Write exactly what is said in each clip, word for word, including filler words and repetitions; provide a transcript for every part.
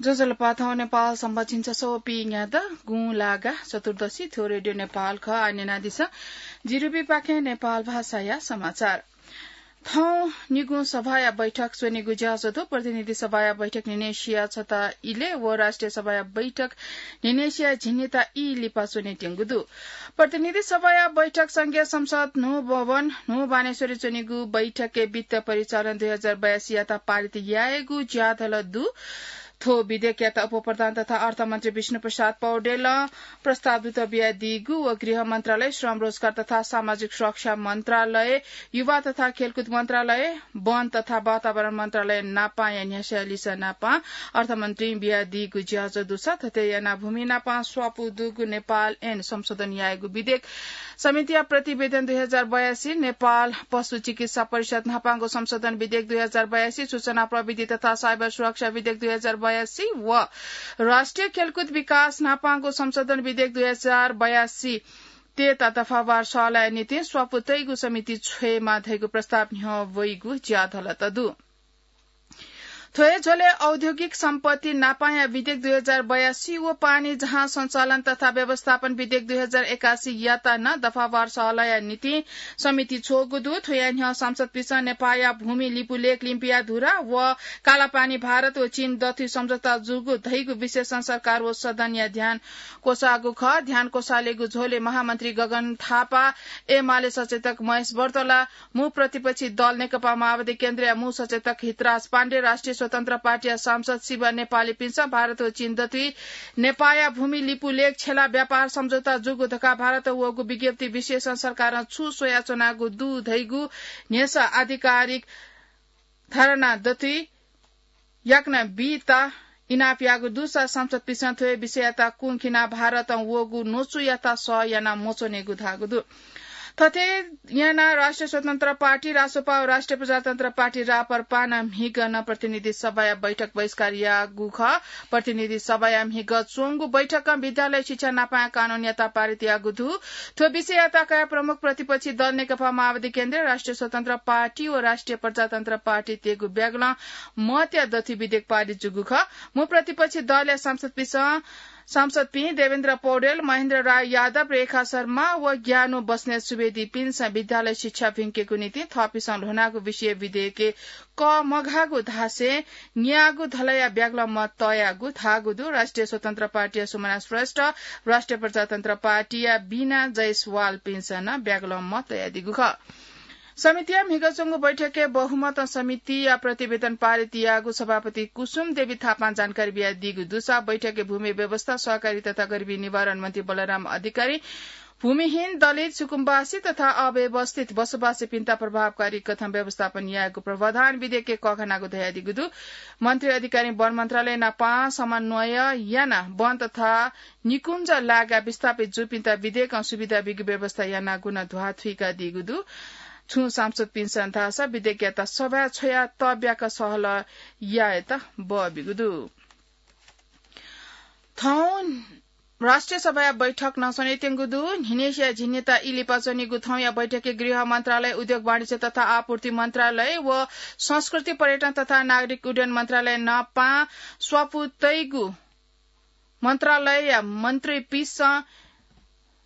ज्वजलपा, थौं नेपाल संवत झिंछसः व पीन्यादँ गुंलागा चतुर्दशी। थ्व रेडियो नेपाल खः। आः न्यनादिसँ जिरुबीपाखें नेपाल भाषाया समाचार। थौं निगू सभाया बैठक च्वनेगु ज्याझ्वः दु। प्रतिनिधि सभाया बैठक न्हिनय् सिया छता इलय् व राष्ट्रिय सभाया बैठक न्हिनय् सिया झिंनिता ई लिपा च्वनेत्यंगु दु। प्रतिनिधि सभाया बैठक संघीय संसद न्हू भवन न्हू बानेश्वरय् च्वनेगु बैठकय् वित्त परिचालन दुई हजार बयासीयात पारित यायेगु ज्याझ्वः दु। थ्व विधेयकयात उपप्रधान तथा अर्थमन्त्री विष्णुप्रसाद पौडेलं प्रस्ताव दुत बियादीगु व गृह मन्त्रालय, श्रम रोजगार तथा सामाजिक सुरक्षा मन्त्रालय, युवा तथा खेलकुद मन्त्रालय, वन तथा वातावरण मन्त्रालय नापांया न्ह्यासया लिसः नापां अर्थमन्त्रीं बियादीगु ज्याझ्वः दुसा थथे यानाः भूमि नापां स्वापू दुगु नेपाल ऐन संशोधन यायेगु विधेयक समितिया प्रतिवेदन दुई हजार बयासी, नेपाल पशु चिकित्सा परिषद न्हापांगु संशोधन विधेयक दुई हजार बयासी, सूचना प्रविधि तथा साइबर सुरक्षा विधेयक दुई हजार बयासी व राष्ट्रिय खेलकुद विकास न्हापांगु संशोधन विधेयक दुई हजार बयासी तयेत दफावार सल्लाहया निंतिं स्वापू तइगु समिति छ्वयेमा धइगु प्रस्ताव न्ह्यः वइगु ज्याझ्वलय् दु। थ्व हे झ्वलय् औद्योगिक सम्पत्ति नापांया विधेयक दुई हजार बयासी व पानी जहाज सञ्चालन तथा व्यवस्थापन विधेयक दुई हजार एकासी यात नं दफावार सल्लाहया निंतिं समिति छ्वःगु दु। थ्वया न्ह्यः सांसदपिन्सं नेपाःया भूमि लिपुलेख लिम्पिया धुरा व कालापानी भारत व चीन दथुइ सम्झौता जूगु धइगु विश्लेषण सरकार व सदनया ध्यान क्वसाःगु खः। ध्यान क्वसालेगु झ्वलय् महामन्त्री गगन थापा, एमाले सचेतक महेश बर्तला, मू प्रतिपक्षी दल नेकपा माओवादी केन्द्रया मू सचेतक हितराज पाण्डे, राष्ट्रिय स्वतन्त्र पार्टीया सांसद शिव नेपालीपिन्सं भारत व चीन दथुइ नेपाःया भूमि लिपुलेख छेला व्यापार सम्झौता जूगु धकाः भारतं वःगु विज्ञप्ति विश्लेषण सरकारं छु स्वयाच्वनागु दु धइगु न्ह्यसः आधिकारिक धारणा दथुइ याकनं बीत इनाप याःगु दुसा सांसदपिन्सं थ्व विषययात कुंखिनाः भारतं वःगु न्वचुयात सह याना मच्वनेगु धाःगु दु। थथे यानाः राष्ट्रिय स्वतन्त्र पार्टी, रासोपा व राष्ट्रिय प्रजातन्त्र पार्टी, राप्रपा नं म्हिगः नं प्रतिनिधि सभाया बैठक बहिष्कार याःगु खः। प्रतिनिधि सभाया म्हिगः च्वंगु बैठकं विद्यालय शिक्षा नापांया कानूनयात पारित याःगु दु। थ्व विषययात कयाः प्रमुख प्रतिपक्षी दल नेकपा माओवादी केन्द्र, राष्ट्रिय स्वतन्त्र पार्टी व राष्ट्रिय प्रजातन्त्र पार्टी तयेगु ब्यागलं मतया दथुइ विधेयक पारित जूगु खः। मू प्रतिपक्षी दलया सांसदपिन्सं, सांसदपिं देवेन्द्र पौडेल, महेन्द्र राय यादव, रेखा शर्मा व ज्ञानु बस्नेत सुवेदीपिन्सं विद्यालय शिक्षा भिंकेगु निंतिं थःपिन्सं ल्ह्वनागु विषय विधेयकय् कःमघाःगु धासें न्याःगु धलया ब्यागलं मत तयागु धाःगु दु। राष्ट्रिय स्वतन्त्र पार्टीया सुमना श्रेष्ठ, राष्ट्रिय प्रजातन्त्र पार्टीया बिना जयसवालपिन्सं नं ब्यागलं मत तयादीगु खः। समितिया म्हिगः च्वंगु बैठकय् बहुमतं समितिया प्रतिवेदन पारित याःगु सभापति कुसुम देवी थापां जानकारी बियादीगु दुसा बैठकय् भूमि व्यवस्था, सहकारी तथा गरिबी निवारण मन्त्री बलराम अधिकारी, भूमिहीन, दलित, सुकुम्बासी तथा अव्यवस्थित बसोबासीपिन्त प्रभावकारी कथं व्यवस्थापन यायेगु प्रावधान विधेयकय् कःघानागु धयादीगु दु। मन्त्री अधिकारी वन मन्त्रालय नापं समन्वय यानाः वन तथा निकुञ्ज लागाः विस्थापित जूपिन्त विधेयकं सुविधा बीगु व्यवस्था यानागु नं ध्वाथुइकादीगु दु। छुं सांसदपिन्सं धाःसा विधेयकयात सभाय् छ्वयाः तब्याक सहलह यायेत बः बीगु दु। थौं राष्ट्रिय सभाया बैठक नं च्वनेत्यंगु दु। न्हिनय्सिया झिंनिता ई लिपा च्वनीगु थौंया बैठकय् गृह मन्त्रालय, उद्योग वाणिज्य तथा आपूर्ति मन्त्रालय व संस्कृति, पर्यटन तथा नागरिक उड्डयन मन्त्रालय नापं स्वापू तइगु मन्त्रालयया मन्त्रीपिन्सं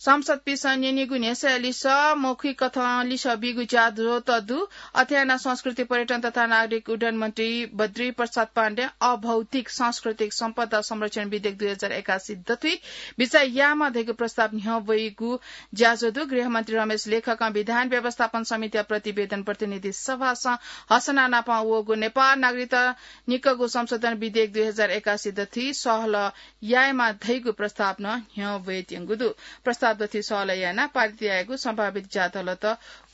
सांसदपिन्सं न्यनीगु न्ह्यसःया लिसः मौखिक कथं लिसः बीगु ज्याझ्वः दु। अथे यानाः संस्कृति, पर्यटन तथा नागरिक उड्डयन मन्त्री बद्री प्रसाद पाण्डें अभौतिक सांस्कृतिक सम्पदा संरक्षण विधेयक दुई हजार एकासी दथुइ बिचाः यायेमाः धइगु प्रस्ताव न्ह्यः वइगु ज्याझ्वः दु। गृहमन्त्री रमेश लेखकं विधान व्यवस्थापन समितिया प्रतिवेदन प्रतिनिधि सभासं हसना नापं वःगु नेपाल नागरिकता निकःगु संशोधन विधेयक दुई हजार एकासी दथुइ सहलह यायेमाः धइगु प्रस्ताव नं न्ह्यः वयेत्यंगु दु। प्रस्ताव दथुइ सहलह यानाः पारित यायेगु सम्भावित ज्याझ्वलत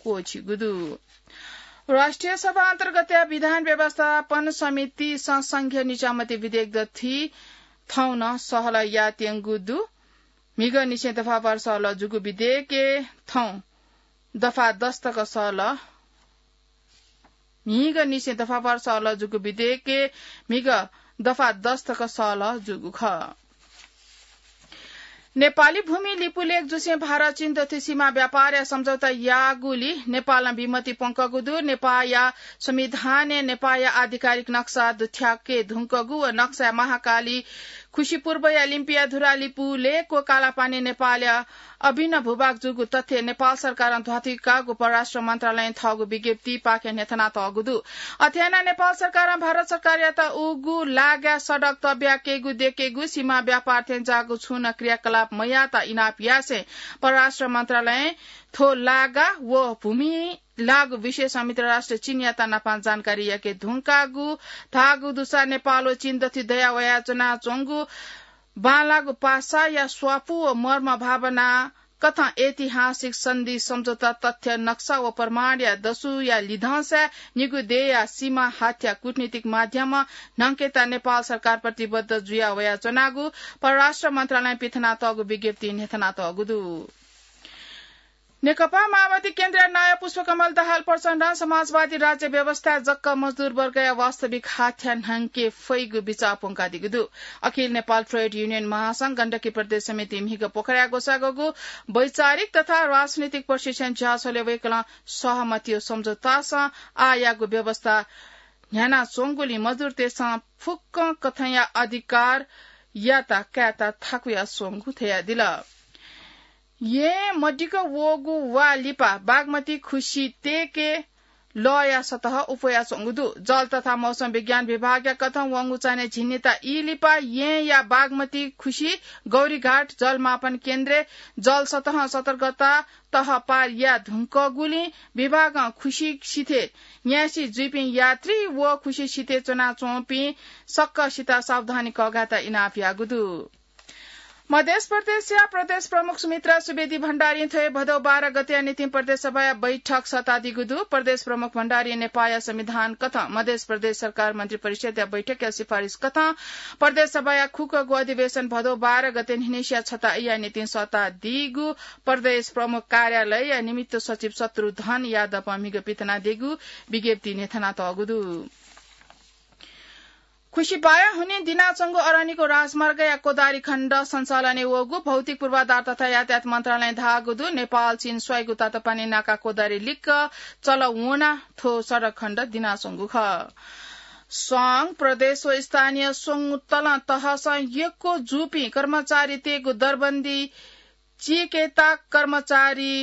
क्वःछिइगु दु। राष्ट्रिय सभा अन्तर्गतया विधान व्यवस्थापन समितिसं संघीय निजामती विधेयक दथुइ थौं नं सहलह यायेत्यंगु दु। म्हिगः निसें दफावार सहलह जूगु विधेयकय् थौं दफा दस तक सहलह म्हिगः निसें दफावार सहलह जूगु विधेयकय् म्हिगः दफा दस तक सहलह जूगु खः। नेपाली भूमि लिपुलेख जुसें भारत चीन दथुइ सीमा व्यापारया सम्झौता याःगुली नेपालं बिमति प्वंकगु दु। नेपाःया संविधानय् नेपाःया आधिकारिक नक्सा दुथ्याके धुंकगु व नक्साय् महाकाली खुसी पूर्वया लिम्पिया धुरा लिपुलेख व कालापानी नेपाःया अभिन्न भूभाग जूगु तथ्य नेपाल सरकारं ध्वाथुइकागु परराष्ट्र मन्त्रालयं थःगु विज्ञप्तिपाखें न्ह्यथनातःगु दु। अथे यानाः नेपाल सरकारं भारत सरकारयात उगु लागाय् सडक तब्याकेगु, द्यकेगु, सीमा व्यापार थेंज्याःगु छुं नं क्रियाकलाप मयाःत इनाप यासें परराष्ट्र मन्त्रालयं थ्व लागा व भूमि लाःगु विषयय् संयुक्त राष्ट्र चीनयात नापं जानकारी याके धुंकागु धाःगु दुसा नेपाल व चीन दथुइ दया वयाच्वनाच्वंगु बांलाःगु पासाया स्वापू व मर्म भावना कथं ऐतिहासिक सन्धि सम्झौता तथ्य नक्सा व प्रमाणया दसुया लिधंसाय् निगू देय्‌या सीमा हाथ्या कूटनीतिक माध्यमं न्हंकेत नेपाल सरकार प्रतिबद्ध जुया वयाच्वनागु परराष्ट्र मन्त्रालयं पिथनातःगु विज्ञप्तिइ न्ह्यथनातःगु दु। नेकपा माओवादी केन्द्रया नायः पुष्पकमल दाहाल प्रचण्डं समाजवादी राज्य व्यवस्थाय् जक्क मजदुर वर्गया वास्तविक हाथ्या न्हंके फइगु बिचाः प्वंकादीगु दु। अखिल नेपाल ट्रेड युनियन महासंघ गण्डकी प्रदेश समिति म्हिगः पोखराय् ग्वसाःगु वैचारिक तथा राजनीतिक प्रशिक्षण झ्यालय् वय्‌कलं सहमति व सम्झौतासं आःयागु व्यवस्था न्ह्यानाच्वंगुलिं मजदुरतय्‌सं फुक्कं कथंया अधिकारयात कायेत थाकुया स्वंगु धयादिल। येँ मदिक्क वःगु वा लिपा बागमती खुसी तयेके लःया सतह उप्वयाच्वंगु दु। जल तथा मौसम विज्ञान विभागया कथं वंगु चान्हय् झिंनिता ई लिपा येँया बागमती खुसी गौरीघाट जलमापन केन्द्रय् जल सतहं सतर्कता तह पार याये धुंकूगुलिं विभागं खुसी सिथय् न्यासि जुइपिं यात्री व खुसी सिथय् च्वनाच्वंपिं सकसित सावधानी कःघायेत इनाप याःगु दु। मध्य प्रदेशया प्रदेश प्रमुख सुमित्रा सुवेदी भण्डारीं थ्व हे भदौ बाह्र गतेया निंतिं प्रदेश सभाया बैठक सःतादीगु दु। प्रदेश प्रमुख भण्डारीं नेपाःया संविधान कथं मध्य प्रदेश सरकार मन्त्री परिषदया बैठकया सिफारिस कथं प्रदेश सभाया खुक्कगु अधिवेशन भदौ बाह्र गते न्हिनसिया छता ईया निंतिं सःतादीगु प्रदेश प्रमुख कार्यालयया निमित्त सचिव शत्रुधन यादवं म्हिगः पिथनादीगु विज्ञप्तिइ न्ह्यथनातःगु दु। खुसी बाया हुनिं दिनाच्वंगु अरनिको राजमार्गया कोदारी खण्ड सञ्चालनय् वःगु भौतिक पूर्वाधार तथा यातायात मन्त्रालयं धाःगु दु। नेपाल चीन स्वाइगु तातोपानी नाका कोदारी लिक्क चल वनाः थ्व सडक खण्ड दिनाच्वंगु खः। संघ, प्रदेश व स्थानीय स्वंगू तलं तहसं यक्व जूपिं कर्मचारीतय्‌गु दरबन्दी चीकेत कर्मचारी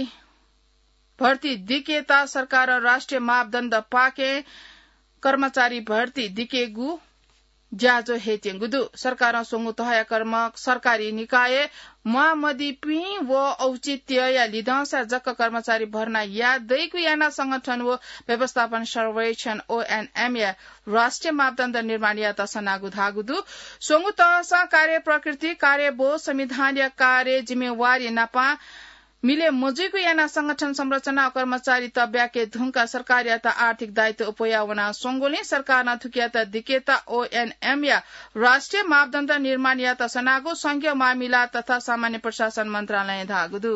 भर्ती दिकेत सरकारं राष्ट्रिय मापदण्डपाखें कर्मचारी भर्ती दिकेगु ज्याझ्वः हयेत्यंगु दु। सरकारं स्वंगू तहया कर्म-, सरकारी निकायय् म्वाःमदीपिं व औचित्यया लिधंसा जक कर्मचारी भर्ना याये दइगु यानाः संगठन व व्यवस्थापन सर्वेक्षण, ओएनएमया राष्ट्रिय मापदण्ड निर्माण यायेत सनागु धाःगु दु। स्वंगू तहसं कार्य प्रकृति, कार्यबोध, संविधानया कार्य जिम्मेवारी नापं मिले मजुइगु यानाः संगठन संरचना व कर्मचारी तब्याके धुंकाः सरकारयात आर्थिक दायित्व उप्वया वनाच्वंगुलिं सरकारं थुकियात दिकेत ओएनएमया राष्ट्रिय मापदण्ड निर्माण यायेत सनागु संघीय मामिला तथा सामान्य प्रशासन मन्त्रालयं धाःगु दु।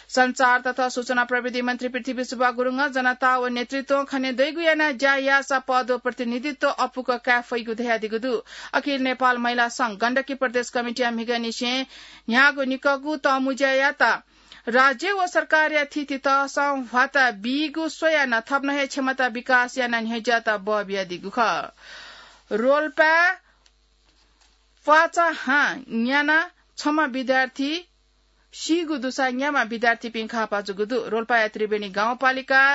सञ्चार तथा सूचना प्रविधि मन्त्री पृथ्वीसुब्बा गुरुङं जनता व नेतृत्वं खने दइगु यानाः ज्या याःसा पद व प्रतिनिधित्व अपुक काये फइगु धयादीगु दु। अखिल नेपाल महिला संघ गण्डकी प्रदेश कमिटीया म्हिगःनिसें न्ह्याःगु निकःगु तःमुँज्यायात राज्य व सरकारया थीथी तहसं ह्वाता बीगु स्वयाः नं थप नं हे क्षमता विकास यानाः न्ह्यज्यात बः बियादीगु खः। रोल्पाय् प्वाचा हां न्यानाः छम्ह विद्यार्थी सीगु दुसा न्याम्ह विद्यार्थीपिं घाःपाः जूगु दु। रोल्पाया त्रिवेणी गाउँपालिका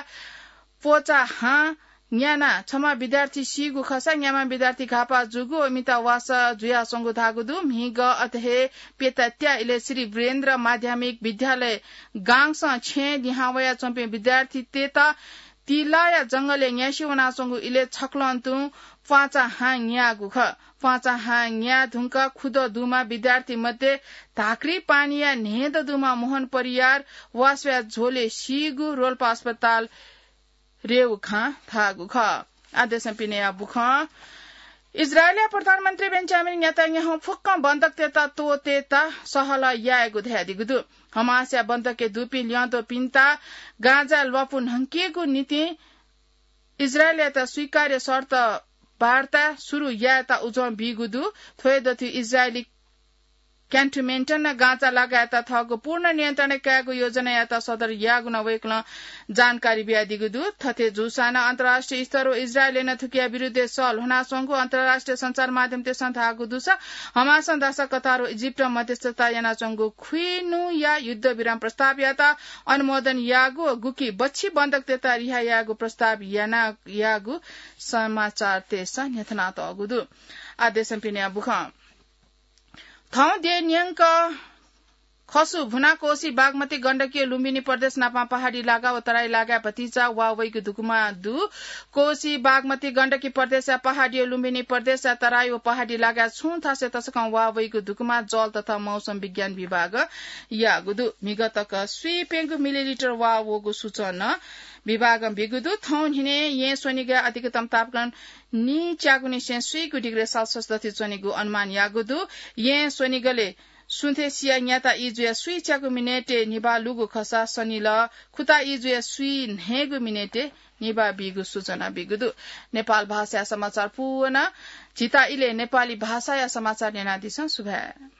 प्वाचा हां न्यानाः छम्ह विद्यार्थी सीगु खःसा न्याम्ह विद्यार्थी घाःपाः जूगु व मितावासः जुयाच्वंगु धाःगु दु। म्हिगः अथे हे प्यता त्या इलय् श्री वीरेन्द्र माध्यमिक विद्यालय गांसं छेँय् लिहां वयाच्वंपिं विद्यार्थीतय्‌त तिलाया जंगलय् न्यासि वनाच्वंगु इलय् छकलं तुं प्वाचा हां न्याःगु खः। प्वाचा हां न्याये धुंकाः खुदँ दुम्ह विद्यार्थी मध्ये धाक्री पानीया न्हय्‌दँ दुम्ह मोहन परियार वासःया झ्वलय् सीगु रोल्पा अस्पताल रेवखां धाःगु खः। आदेशं पिनेया बुखं इजरायलया प्रधानमन्त्री बेन्जामिन नेतन्याहुं फुक्कं बन्धकतय्‌त त्वःतेत सहलह यायेगु धयादीगु दु। हमासया बन्धकय् दुपिं ल्यंद्वःपिन्त गाजाय् ल्वापु न्हंकेगु निंतिं इजरायलयात स्वीकार्य शर्त वार्ता सुरु यायेत उजं बीगु दु। थ्व हे दथुइ इजरायली क्यान्टोनमेन्टन गाँचा लगायत थःगु पूर्ण नियन्त्रण कायेगु योजनायात सदर याःगु नं वय्कलं जानकारी बियादीगु दु। थथे जूसां नं अन्तर्राष्ट्रिय स्तर व इजरायलय् नं थुकिया विरुद्धय् सः ल्ह्वनाच्वंगु अन्तर्राष्ट्रिय सञ्चार माध्यमतय्सं धाःगु दुसा हमासं दासा कतार व इजिप्टं मध्यस्थता यानाच्वंगु खुइन्हुया युद्धविराम प्रस्तावयात अनुमोदन याःगु व गुकी बच्छि बन्धकतय्त रिहा यायेगु प्रस्ताव याना याःगु समाचारतय्सं न्ह्यथनातःगु दु। आः देशं पिनेया बुखँ। थौं देय् न्यंक खसु भुना कोसी बागमती गण्डकी लुम्बिनी प्रदेश नापं पहाडी लागा व तराई लागाय् भतिचा वा वइगु धुकुमा दु। कोसी बागमती गण्डकी प्रदेशया पहाडी व लुम्बिनी प्रदेशया तराई व पहाडी लागाय् छुं थासय् तसकं वा वइगु धुकुमा जल तथा मौसम विज्ञान विभागं याःगु दु। म्हिगः तक स्वीप्यंगू मिलिलिटर वा वःगु सूचना विभागं बीगु दु। थौं न्हिनय् येँ स्वनिगः अधिकतम तापक्रम नीच्यागुनिसें स्वीगू डिग्री सेल्सियस दथुइ च्वनेगु अनुमान याःगु दु। येँ स्वनिगलय् सुथय् सिया न्याता ई जुया स्वीच्यागु मिनेटय् निभाः लूगु खःसा सनिलः खुता ई जुया स्वीन्हय्गू मिनेटय् निभाः बीगु सूचना बीगु दु। नेपाल भाषाया समाचार पूवना। झीत इलय् नेपाली भाषाया समाचार न्यनादिसँ। सुभाय्।